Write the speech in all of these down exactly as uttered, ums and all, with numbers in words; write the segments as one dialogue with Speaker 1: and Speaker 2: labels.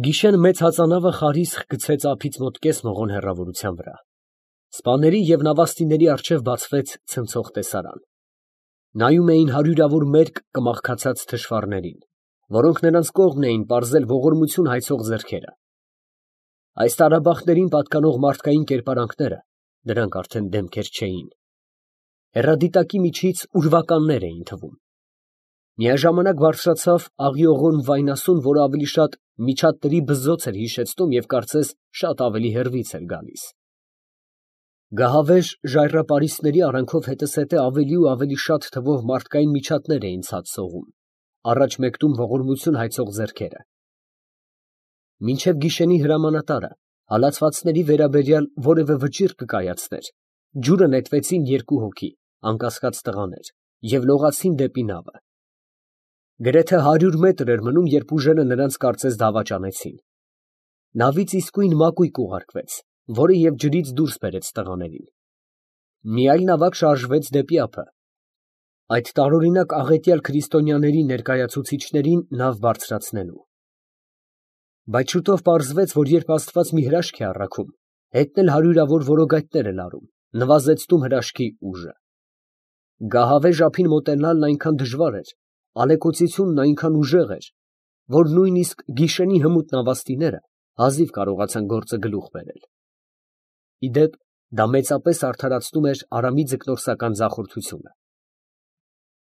Speaker 1: Գիշեր մեծ հածանավը խարիսխ գցեց ափից մոտ կես մղոն հեռավորության վրա։ Սպաների և նավաստիների առջև բացվեց ցնցող տեսարան. նայում էին հարյուրավոր մերկ կմախքացած թշվառներին, որոնք նրանց կողմն էին պարզել ողորմություն հայցող ձեռքերը։ Այս տարաբախտերին պատկանող մարդկային կերպարանքները դրանք արդեն դեմքեր չէին, հեռադիտակի միջից ուրվականներ էին թվում։ Միաժամանակ բարձրացավ աղիողոն վայնասուն, որը ավելի շատ միջատների բզզոց էր հիշեցնում և կարծես շատ ավելի հեռվից էր գալիս։ Գահավեժ ժայռապարիսպների արանքով հետզհետե ավելի ու ավելի շատ թվով մարդկային միջատներ էին ցած սողում, առաջ մեկնում ողորմություն հայցող ձեռքերը։ Մինչև գիշենի հրամանատարը հալածվածների վերաբերյալ որևէ վճիռ կկայացներ, ջուրը նետվեցին երկու հոգի, անկասկած տղաներ, և լողացին դեպի նավը։ Գրեթե հարյուր մետր էր մնում, երբ ուժերը նրանց կարծես դավաճանեցին։ Նավից իսկույն մակույկ ուղարկվեց, որը և ջրից դուրս բերեց տղաներին։ Մի այլ նավակ շարժվեց դեպի ափը, այդ տարօրինակ աղետյալ քրիստոնյաների ներկայացուցիչներին նավ բարձրացնելու։ Բայց շուտով պարզվեց, որ երբ Աստված մի հրաշք է առաքում, հետն էլ հարյուրավոր որոգայթներ է լարում, նվազեցնում հրաշքի ուժը։ Գահավեժ ափին մոտենալն այնքան դժվար էր, ալեկոծությունն այնքան ուժեղ էր, որ նույնիսկ գիշենի հմուտ նավաստիները հազիվ կարողացան գործը գլուխ բերել։ Ի դեպ, դա մեծապես արդարացնում էր Արամի ձկնորսական ձախորդությունը։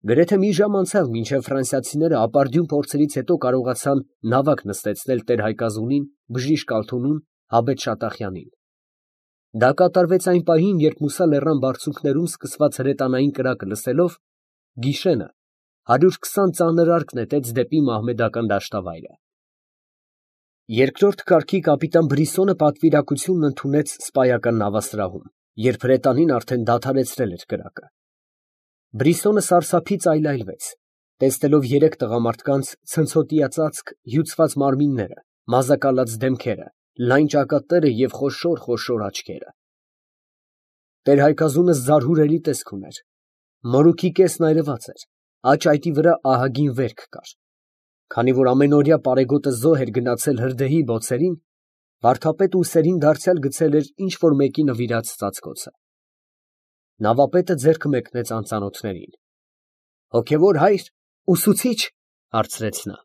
Speaker 1: Գրեթե մի ժամ անցավ, մինչև ֆրանսիացիները ապարդյուն փորձերից հետո կարողացան նավակ նստեցնել տեր֊Հայկազունին, բժիշկ Ալթունուն, Հաբետ Շատախյանին։ Դա կատարվեց այն պահին, երբ Մուսա լեռան բարձունքներում սկսված հրետանային կրակը լսելով, Գիշենը հարյուր քսան ծանր արկ նետեց դեպի մահմեդական դաշտավայրը։ Երկրորդ կարգի կապիտան Բրիսոնը պատվիրակությունն ընդունեց սպայական նավասրահում, երբ հրետանին արդեն դադարեցրել էր կրակը։ Բրիսոնը սարսափից այլայլվեց, տեսնելով երեք տղամարդկանց ցնցոտիա ծածկ, հյուծված մարմինները, մազակալած դեմքերը, լայն ճակատները և խոշոր֊խոշոր աչքերը։ Տեր֊Հայկազունը զարհուրելի տեսք ուներ։ Մորուքի կեսն այրված էր, աջ այտի վրա ահագին վերք կար։ Քանի որ ամենօրյա պարեգոտը զոհ էր գնացել հրդեհի բոցերին, վարդապետը ուսերին դարձյալ գցել էր ինչ֊որ մեկի նվիրած ծածկոցը։ Նավապետը ձեռքը մեկնեց անծանոթներին։ ֊ Հոգևոր հայր, ուսուցի՞չ, ֊ հարցրեց նա։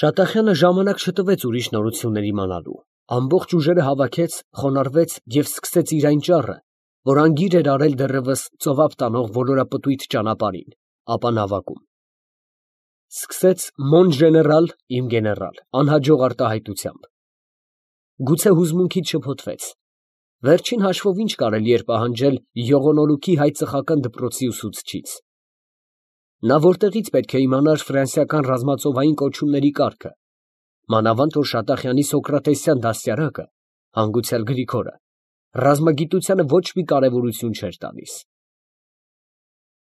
Speaker 1: Շատախյանը ժամանակ չտվեց ուրիշ նորություններ իմանալու, ամբողջ ուժերը հավաքեց, խոնարհվեց և սկսեց իր այն ճառը, որ անգիր էր արել դեռևս ծովափ տանող ոլորապտույտ ճանապարհին, ապա նավակում։ Սկսեց «Մոն ժեներալ, իմ գեներալ» անհաջող արտահայտությամբ։ Գուցե հուզմունքից շփոթվեց։ Վերջին հաշվով ի՞նչ կարելի էր պահանջել Յողոնոլուքի հայ֊ծխական դպրոցի ուսուցչից։ Նա որտեղի՞ց պետք է իմանար ֆրանսիական ռազմածովային կոչումների կարգը, մանավանդ որ Շատախյանի սոկրատեսյան դաստիարակը, հանգուցյալ Գրիգորը, ռազմագիտությանը ոչ մի կարևորություն չէր տալիս։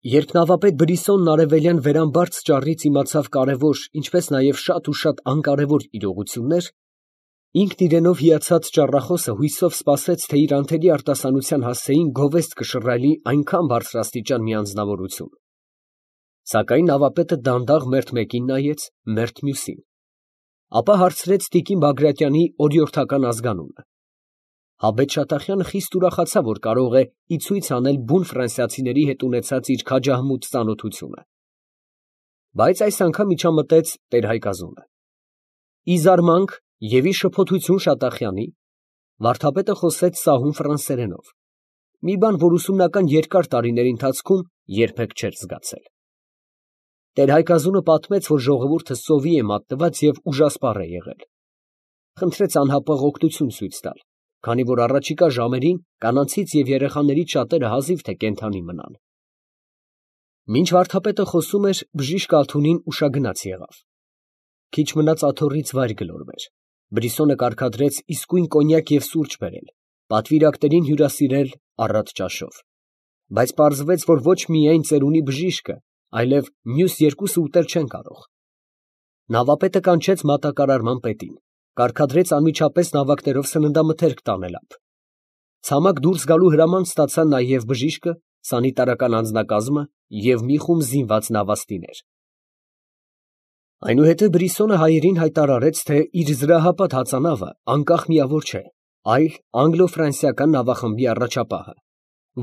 Speaker 1: Երբ նավապետ Բրիսոնն արևելյան վերամբարձ ճառից իմացավ կարևոր, ինչպես նաև շատ ու շատ անկարևոր իրողություններ, ինքն իրենով հիացած ճառախոսը հույսով սպասեց, թե իր անթերի արտասանության հասցեին գովեստ կշռայլի այնքան բարձրաստիճան մի անձնավորություն։ Սակայն նավապետը դանդաղ մերթ մեկին նայեց, մերթ մյուսին, ապա հարցրեց տիկին Բագրատյանի օրիորդական ազգանունը։ Հաբետ Շատախյանը խիստ ուրախացավ, որ կարող է ի ցույց անել բուն ֆրանսիացիների հետ ունեցած իր քաջահմուտ ծանոթությունը։ Բայց այս անգամ միջամտեց տեր֊Հայկազունը։ Ի զարմանք և ի շփոթություն Շատախյանի, վարդապետը խոսեց սահուն ֆրանսերենով, մի բան, որ ուսումնական երկար տարիների ընթացքում երբեք չէր զգացել։ Տեր֊Հայկազունը պատմեց, որ ժողովուրդը սովի է մատնված և ուժասպառ է եղել։ Խնդրեց անհապաղ օգնություն ցույց տալ, քանի որ առաջիկա ժամերին կանանցից և երեխաներից շատերը հազիվ թե կենդանի մնան։ Մինչ վարդապետը խոսում էր, բժիշկ Ալթունին ուշագնաց եղավ։ Քիչ մնաց աթոռից վայր գլորվեր։ Բրիսոնը կարգադրեց իսկույն կոնյակ և սուրճ բերել, պատվիրակներին հյուրասիրել առատ ճաշով։ Բայց պարզվեց, որ ոչ միայն ծերունի բժիշկը, այլև մյուս երկուսը ուտել չեն կարող։ Նավապետը կանչեց մատակարարման պետին, կարգադրեց անմիջապես նավակներով սննդամթերք տանել ափ։ Ցամաք դուրս գալու հրաման ստացան նաև բժիշկը, սանիտարական անձնակազմը և մի խումբ զինված նավաստիներ։ Այնուհետև Բրիսոնը հայերին հայտարարեց, թե իր զրահապատ հածանավը անկախ միավոր չէ, այլ անգլո֊ֆրանսիական նավախմբի առաջապահը,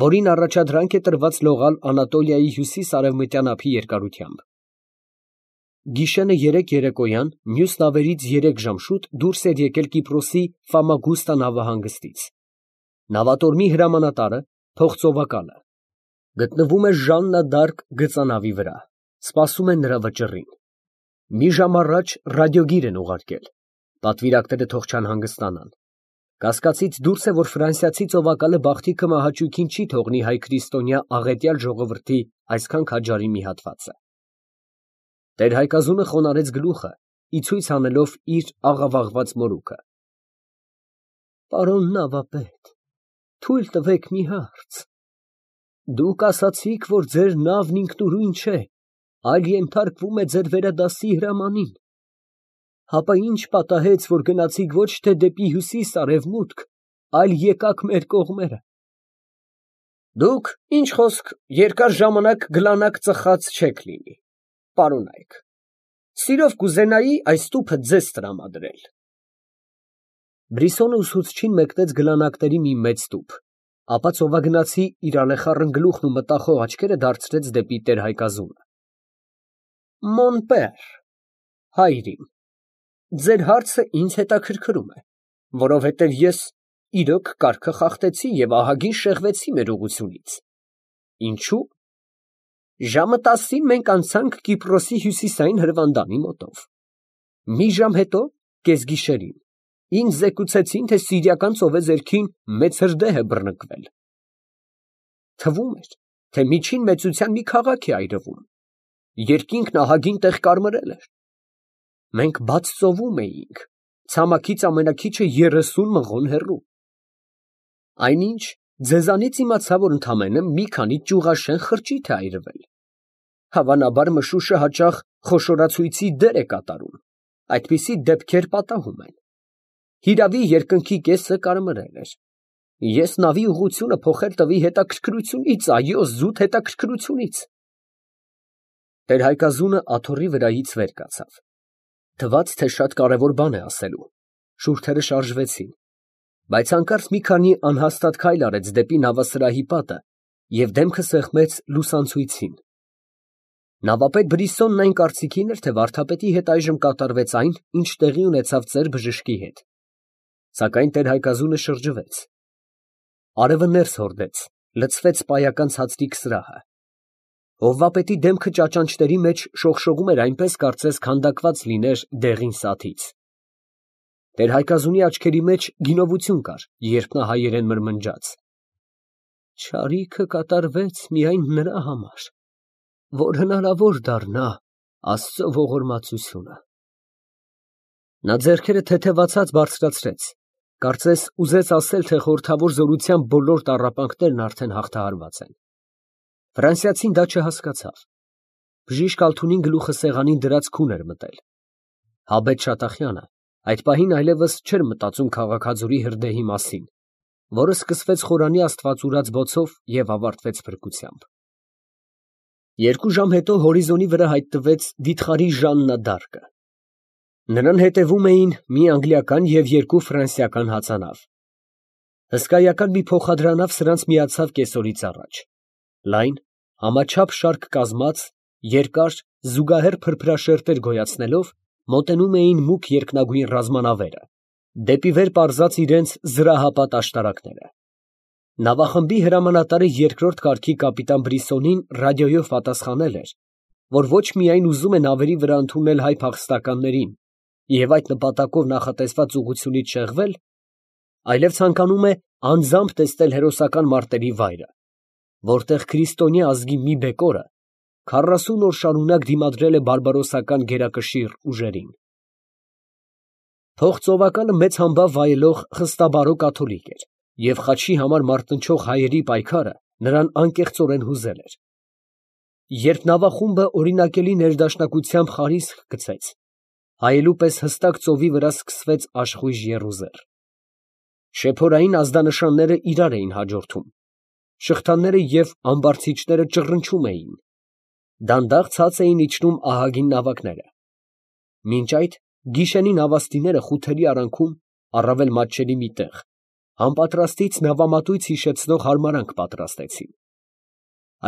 Speaker 1: որին առաջադրանք է տրված լողալ Անատոլիայի հյուսիս֊արևմտյան ափի երկարությամբ։ Գիշերը երեկ երեկոյան մյուս նավերից երեք ժամ շուտ դուրս էր եկել Կիպրոսի Ֆամագուստա նավահանգստից։ Նավատորմի հրամանատարը, փողծովակալը, գտնվում է Ժաննա դ'Արկ գծանավի վրա, սպասում է նրա վճռին։ Մի ժամ առաջ ռադիոգիր են ուղարկել, պատվիրակները թող չանհանգստանան։ Կասկածից դուրս է, որ ֆրանսիացի ծովակալը Բախտիքը մահաճույքին չի թողնի հայ քրիստոնյա աղետյալ ժողովրդի այսքան քաջարի մի հատվածը։ Տեր-Հայկազունը խոնարհեց գլուխը, ի ցույց անելով իր աղավաղված մորուքը։ Պարոն նավապետ, թույլ տվեք մի հարց. դուք ասացիք, որ ձեր նավն ինքնուրույն չէ, այլ ենթարկվում է ձեր վերադասի հրամանին, հապա ի՞նչ պատահեց, որ գնացիք ոչ թե դեպի հյուսիս֊արևմուտք, այլ եկաք մեր կողմերը։ Դուք, ինչ խոսք, երկար ժամանակ գլանակ ծխած չեք լինի, պարոնայք, սիրով կուզենայի այս տուփը ձեզ տրամադրել։ Բրիսոնը ուսուցչին մեկնեց գլանակների մի մեծ տուփ, ապա ծովագնացի իր ալեխառն գլուխն ու մտախոհ աչքերը դարձրեց դեպի տեր-Հայկազունը։ Մոն պեր, հայրիկ, ձեր հարցը ինձ հետաքրքրում է, որովհետև ես իրոք կարգը խախտեցի և ահագին շեղվեցի մեր ուղղությունից։ Ինչո՞ւ։ Ժամը տասին մենք անցանք Կիպրոսի հյուսիսային հրվանդանի մոտով։ Մի ժամ հետո, կեսգիշերին, ինձ զեկուցեցին, թե Սիրիական ծովեզերքին մեծ հրդեհ է բռնկվել։ Թվում էր, թե միջին մեծության մի քաղաք է այրվում։ Երկինքն ահագին տեղ կարմրել էր։ Մենք բաց ծովում էինք, ցամաքից ամենաքիչը երեսուն մղոն հեռու։ Այնինչ ձեզանից իմացա, որ ընդամենը մի քանի ճյուղաշեն խրճիթ է այրվել։ Հավանաբար մշուշը հաճախ խոշորացույցի դեր է կատարում, այդպիսի դեպքեր պատահում են։ Հիրավի, երկնքի կեսը կարմրել էր։ Ես նավի ուղղությունը փոխել տվի հետաքրքրությունից, այո, զուտ հետաքրքրությունից։ Տեր-Հայկազունը աթոռի վրայից վեր կացավ։ Թվաց, թե շատ կարևոր բան է ասելու։ Շուրթերը շարժվեցին, բայց հանկարծ մի քանի անհաստատ քայլ արեց դեպի նավասրահի պատը և դեմքը սեղմեց լուսանցույցին։ Նավապետ Բրիսոնն այն կարծիքին էր, թե վարդապետի հետ այժմ կատարվեց այն, ինչ տեղի ունեցավ ծեր բժշկի հետ։ Սակայն տեր-Հայկազունը շրջվեց։ Արևը ներս հորդեց, լցվեց պայական ցածրիկ սրահը։ Հովվապետի դեմքը ճաճանճների մեջ շողշողում էր այնպես, կարծես քանդակված լիներ դեղին սաթից։ Տեր-Հայկազունի աչքերի մեջ գինովություն կար, երբ նա հայերեն մրմնջաց. Չարիքը կատարվեց միայն նրա համար, որ հնարավոր դառնա Աստծո ողորմածությունը։ Նա ձեռքերը թեթևացած բարձրացրեց, կարծես ուզեց ասել, թե խորհրդավոր զորության բոլոր տառապանքներն արդեն հաղթահարված են։ Ֆրանսիացին դա չհասկացավ։ Բժիշկ Ալթունին գլուխը սեղանին դրած քուն էր մտել։ Հաբետ Շատախյանը այդ պահին այլևս չէր մտածում քաղաքաձորի հրդեհի մասին, որը սկսվեց խորանի աստվածուրած բոցով և ավարտվեց փրկությամբ։ Երկու ժամ հետո հորիզոնի վրա հայտնվեց վիթխարի Ժաննա դ'Արկը։ Նրան հետևում էին մի անգլիական և երկու ֆրանսիական հածանավ։ Հսկայական մի փոխադրանավ սրանց միացավ կեսօրից առաջ։ Լայն, համաչափ շարք կազմած, երկար, զուգահեռ փրփրաշերտեր գոյացնելով, մոտենում էին մուգ երկնագույն ռազմանավերը, դեպի վեր պարզած իրենց զրահապատ աշտարակները։ Նավախմբի հրամանատարը երկրորդ կարգի կապիտան Բրիսոնին ռադիոյով պատասխանել էր, որ ոչ միայն ուզում է նավերի վրա ընդունել հայ փախստականներին և այդ նպատակով նախատեսված ուղղությունից շեղվել, այլև ցանկանում է անձամբ տեսնել հերոսական մարտերի վայրը, որտեղ քրիստոնյա ազգի մի բեկորը քառասուն օր շարունակ դիմադրել է բարբարոսական գերակշիռ ուժերին։ Փողծովակալը մեծ համբավ վայելող խստաբարո կաթոլիկ էր և խաչի համար մարտնչող հայերի պայքարը նրան անկեղծորեն հուզել էր։ Երբ նավախումբը օրինակելի ներդաշնակությամբ խարիսկ գցեց, հայելու պես հստակ ծովի վրա սկսվեց աշխույժ եռուզեռ։ Շեփորային ազդանշանները իրար էին հաջորդում, շղթաները և ամբարձիչները ճռնչում էին, դանդաղ ցած էին իջնում ահագին նավակները։ Մինչ այդ գիշերին նավաստիները խութերի արանքում առավել մատչելի մի տեղ, անպատրաստից նավամատույց հիշեցնող հարմարանք պատրաստեցին։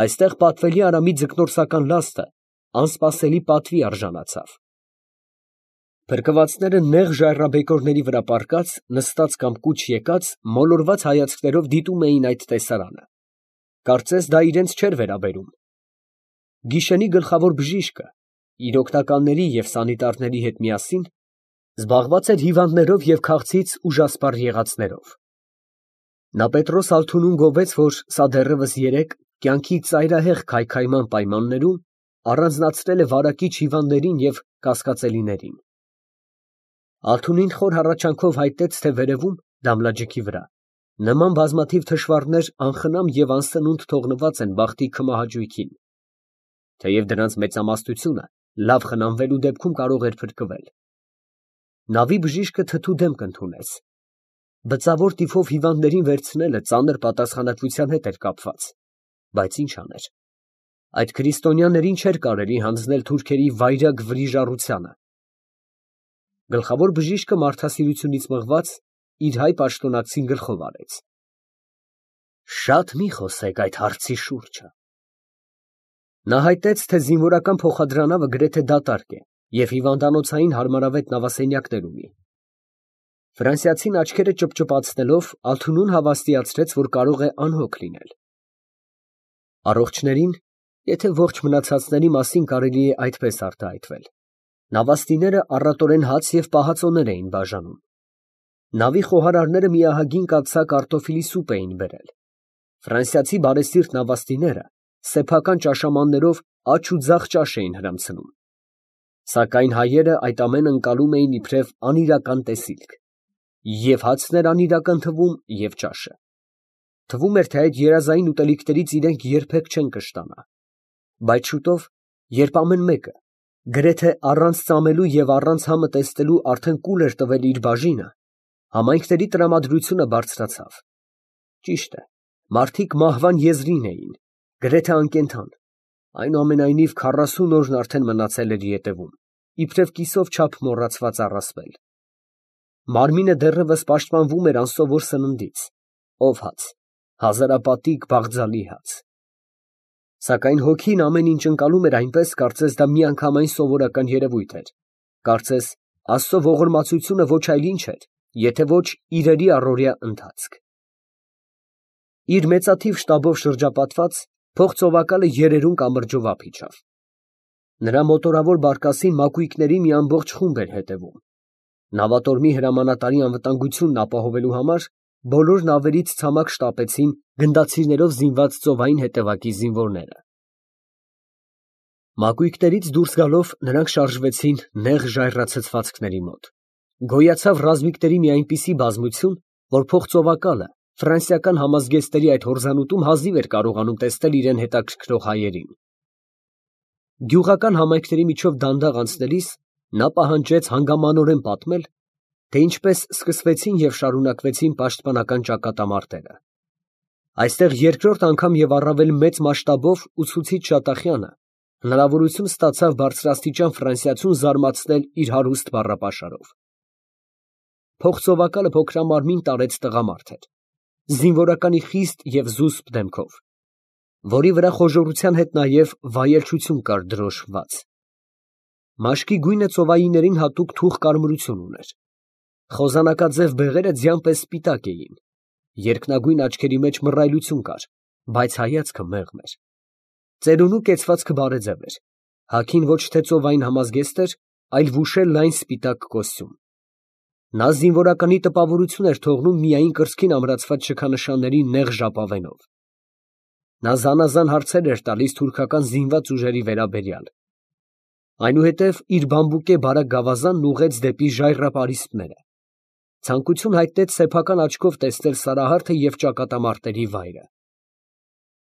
Speaker 1: Այստեղ պատվելի Արամի ձկնորսական լաստը անսպասելի պատվի արժանացավ։ Փրկվածները նեղ ժայռաբեկորների վրա պառկած, նստած կամ կուչ եկած, մոլորված հայացքներով դիտում էին այդ տեսարանը, կարծես դա իրենց չէր վերաբերում։ Գիշերի գլխավոր բժիշկը իր օգնականների և սանիտարների հետ միասին զբաղված էր հիվանդներով և քաղցից ուժասպառ եղածներով։ Նա Պետրոս Ալթունուն գովեց, որ սա դեռևս երեկ կյանքի ծայրահեղ քայքայման պայմաններում առանձնացրել է վարակիչ հիվանդներին և կասկածելիներին։ Ալթունին խոր հառաչանքով հայտնեց, թե վերևում, դամլաջիքի վրա, նման բազմաթիվ թշվառներ անխնամ և անսնունդ թողնված են բախտի քմահաճույքին, թեև դրանց մեծամասնությունը լավ խնամվելու դեպքում կարող էր փրկվել։ Նավի բժիշկը թթու դեմք ընդունեց։ Բծավոր տիֆով հիվանդներին վերցնելը ծանր պատասխանատվության հետ էր կապված, բայց ինչ աներ։ Այդ քրիստոնյաներին չէր կարելի հանձնել թուրքերի վայրագ վրիժառությանը։ Գլխավոր բժիշկը մարդասիրությունից մղված իր հայ պաշտոնակցին գլխով արեց։ Շատ մի խոսեք այդ հարցի շուրջը։ Նա հայտնեց, թե զինվորական փոխադրանավը գրեթե դատարկ է և հիվանդանոցային հարմարավետ նավասենյակներ ունի։ Ֆրանսիացին աչքերը ճպճպացնելով Ալթունուն հավաստիացրեց, որ կարող է անհոգ լինել։ Առողջներին, եթե ողջ մնացածների մասին կարելի է այդպես արտահայտվել, նավաստիները առատորեն հաց և պահածոներ էին բաժանում։ Նավի խոհարարները մի ահագին կաթսա կարտոֆիլի սուպ էին բերել։ Ֆրանսիացի բարեսիրտ նավաստիները սեփական ճաշամաններով աջ ու ձախ ճաշ էին հրամցնում։ Սակայն հայերը այդ ամենը ընկալում էին իբրև անիրական տեսիլք, և հացն էր անիրական թվում, և ճաշը։ Թվում էր, թե այդ երազային ուտելիքներից իրենք երբեք չեն կշտանա։ Բայց շուտով, երբ ամեն մեկը, գրեթե առանց ծամելու և առանց համը տեսնելու արդեն կուլ էր տվել իր բաժինը, համայնքների տրամադրությունը բարձրացավ։ Ճիշտ է, մարդիկ մահվան եզրին էին, գրեթե անկենդան, այնուամենայնիվ քառասուն օրն արդեն մնացել էր ետևում, իբրև կիսով չափ մոռացված առասպել։ Մարմինը դեռևս պաշտպանվում էր անսովոր սննդից, ով հաց, հազարապատիկ բաղձալի հաց։ Սակայն հոգին ամեն ինչ ընկալում էր այնպես, կարծես դա միանգամայն սովորական երևույթ էր, կարծես Աստծո ողորմածությունը ոչ այլ ինչ էր, եթե ոչ իրերի առօրյա ընթացք։ Իր մեծաթիվ շտաբով շրջապատված, փողծովակալը երերուն կամրջով ափ իջավ։ Նրա մոտորավոր բարկասին մակույկների մի ամբողջ խումբ էր հետևում։ Նավատորմի հրամանատարի անվտանգությունն ապահովելու համար բոլոր նավերից ցամաք շտապեցին գնդացիրներով զինված ծովային հետևակի զինվորները։ Մակույկներից դուրս գալով նրանք շարժվեցին նեղ ժայռացցվածքների մոտ։ Գոյացավ ռազմիկների մի այնպիսի բազմություն, որ փողծովակալը ֆրանսիական համազգեստերի այդ հորձանուտում հազիվ էր կարողանում տեսնել իրեն հետաքրքրող հայերին։ Գյուղական համայնքների միջով դանդաղ անցնելիս նա պահանջեց հանգամանորեն պատմել, թե ինչպես սկսվեցին և շարունակվեցին պաշտպանական ճակատամարտերը։ Այստեղ երկրորդ անգամ և առավել մեծ մասշտաբով ուսուցիչ Շատախյանը հնարավորություն ստացավ բարձրաստիճան ֆրանսիացուն զարմացնել իր հարուստ բառապաշարով։ Փողծովակալը փոքրամարմին տարեց տղամարդ էր, զինվորականի խիստ և զուսպ դեմքով, որի վրա խոժոռության հետ նաև վայելչություն կար դրոշմված։ Մաշկի գույնը ծովայիներին հատուկ թուխ կարմրություն ուներ։ Խոզանակաձև բեղերը ձյան պես սպիտակ էին, երկնագույն աչքերի մեջ մռայլություն կար, բայց հայացքը մեղմ էր։ Ծերունու կեցվածքը բարեձև էր, հագին ոչ թե ծովային համազգեստ էր, այլ վուշել լայն սպիտակ կոստյում։ Նա զինվորականի տպավորություն էր թողնում միայն կրծքին ամրացված շքանշանների նեղ ժապավենով։ Նա զանազան հարցեր էր տալիս թուրքական զինված ուժերի վերաբերյալ։ Այնուհետև իր բամբուկե բարակ գավազանն ուղղեց դեպի ժայռապարիսպները։ Ցանկություն հայտնեց սեփական աչքով տեսնել Սարահարթը և ճակատամարտերի վայրը։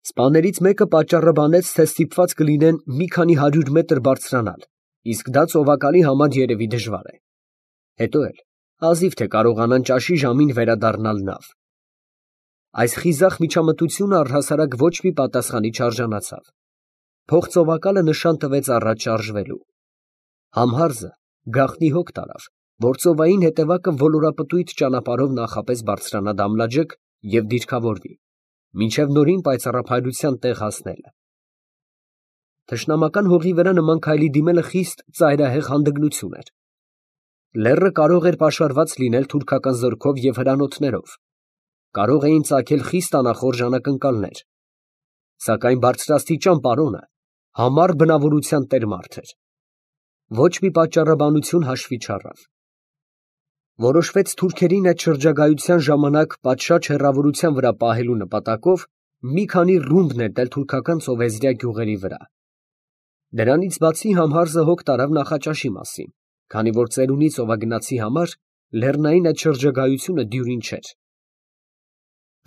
Speaker 1: Սպաներից մեկը պատճառը բանեց, թե ստիպված կլինեն մի քանի հարյուր մետր բարձրանալ, իսկ դա ծովակալի համար երևի դժվար է։ Հետո էլ հազիվ թե կարողանան ճաշի ժամին վերադառնալ նավ։ Այս խիզախ միջամտությունը առհասարակ ոչ մի պատասխանի չարժանացավ։ Փողծովակալը նշան տվեց առաջ շարժվելու։ Համհարզը գաղտնի հոգ տարավ, որ ծովային հետևակը ոլորապտույտ ճանապարհով նախապես բարձրանա Դամլաջեկ և դիրքավորվի, մինչև նորին պայծառափայլության տեղ հասնելը։ Թշնամական հողի վրա նման քայլի դիմելը խիստ ծայրահեղ հանդգնություն էր։ Լեռը կարող էր պաշարված լինել թուրքական զորքով և հրանոթներով, կարող էին ծագել խիստ անախորժ անակնկալներ, սակայն բարձրաստիճան պարոնը համառ բնավորության տեր մարդ էր, ոչ մի պատճառաբանություն հաշվի չառավ։ Որոշվեց թուրքերին այդ շրջագայության ժամանակ պատշաճ հեռավորության վրա պահելու նպատակով մի քանի ռումբ նետել թուրքական ծովեզրյա գյուղերի վրա։ Դրանից բացի Համհարզը հոգ տարավ Նախաճաշի մասին, քանի որ ծերունի ծովագնացի համար լեռնային այդ շրջագայությունը դյուրին չէր։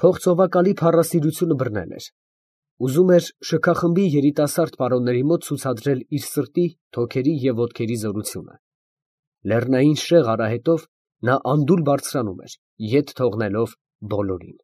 Speaker 1: Փողծովակալի փառասիրությունը բռնել էր, ուզում էր շքախմբի երիտասարդ պարոնների մոտ ցուցադրել իր սրտի, թոքերի և ոտքերի զորությունը։ Լեռնային շեղ արահետով նա անդուլ բարձրանում էր, ետ թողնելով բոլորին։